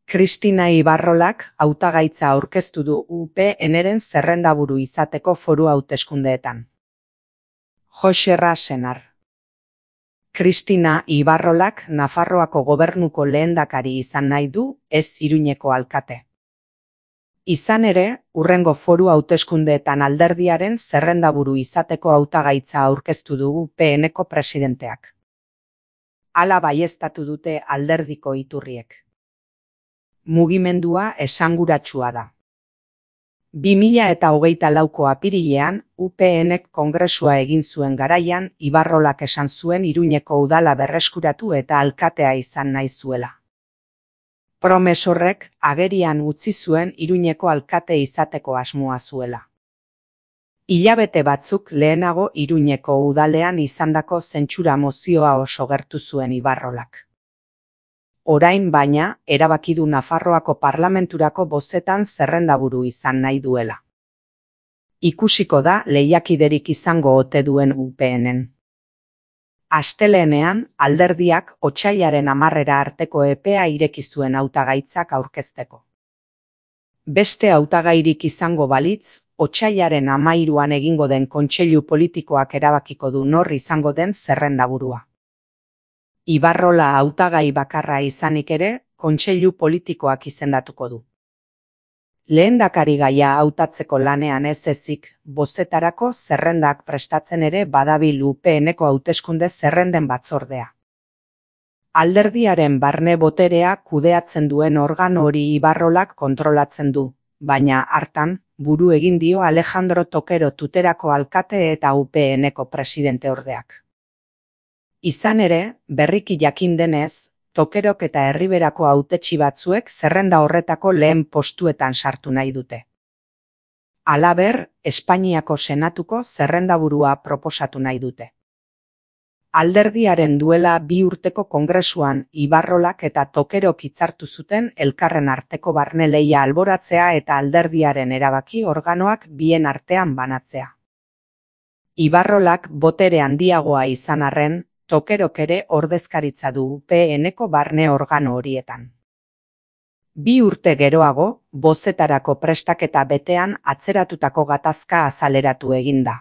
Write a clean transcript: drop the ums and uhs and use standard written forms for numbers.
Kristina Ibarrolak hautagaitza aurkeztu du UPNren zerrendaburu izateko foru hauteskundeetan. Jose Rasenar. Kristina Ibarrolak Nafarroako gobernuko lehendakari izan nahi du, ez Iruñeko alkate. Izan ere, hurrengo foru hauteskundeetan alderdiaren zerrendaburu izateko hautagaitza aurkeztu du UPNko presidenteak. Hala baieztatu dute alderdiko iturriek. Mugimendua esanguratsua da. 2024ko apirilean, UPNek kongresua egin zuen garaian, Ibarrolak esan zuen Iruñeko udala berreskuratu eta alkatea izan nahi zuela. Promesorrek agerian utzi zuen Iruñeko alkate izateko asmoa zuela. Hilabete batzuk lehenago Iruñeko udalean izandako zentsura mozioa oso gertu zuen Ibarrolak. Orain baina, erabaki du Nafarroako parlamenturako bozetan zerrendaburu izan nahi duela. Ikusiko da lehiakiderik izango ote duen UPNen. Astelehenean, alderdiak otsailaren 10 arteko epea ireki zuen hautagaitzak aurkezteko. Beste hautagairik izango balitz, otsailaren 13an egingo den kontseilu politikoak erabakiko du nor izango den zerrendaburua. Ibarrola hautagai bakarra izanik ere, kontseilu politikoak izendatuko du. Lehendakarigaia hautatzeko lanean ez ezik, bozetarako zerrendak prestatzen ere badabil UPNeko hauteskunde zerrenden batzordea. Alderdiaren barne boterea kudeatzen duen organo hori Ibarrolak kontrolatzen du, baina hartan, buru egin dio Alejandro Tokero Tuterako alkate eta UPNeko presidente ordeak. Izan ere, berriki jakin denez, Tokerok eta Herriberako hautetsi batzuek zerrenda horretako lehen postuetan sartu nahi dute. Halaber, Espainiako Senatuko zerrendaburua proposatu nahi dute. Alderdiaren duela 2 urteko kongresuan Ibarrolak eta Tokerok hitzartu zuten elkarren arteko barne lehia alboratzea eta alderdiaren erabaki organoak bien artean banatzea. Ibarrolak botere handiagoa izan arren, Tokerok ere ordezkaritza du UPNeko barne organo horietan. 2 urte geroago, bozetarako prestaketa betean atzeratutako gatazka azaleratu egin da.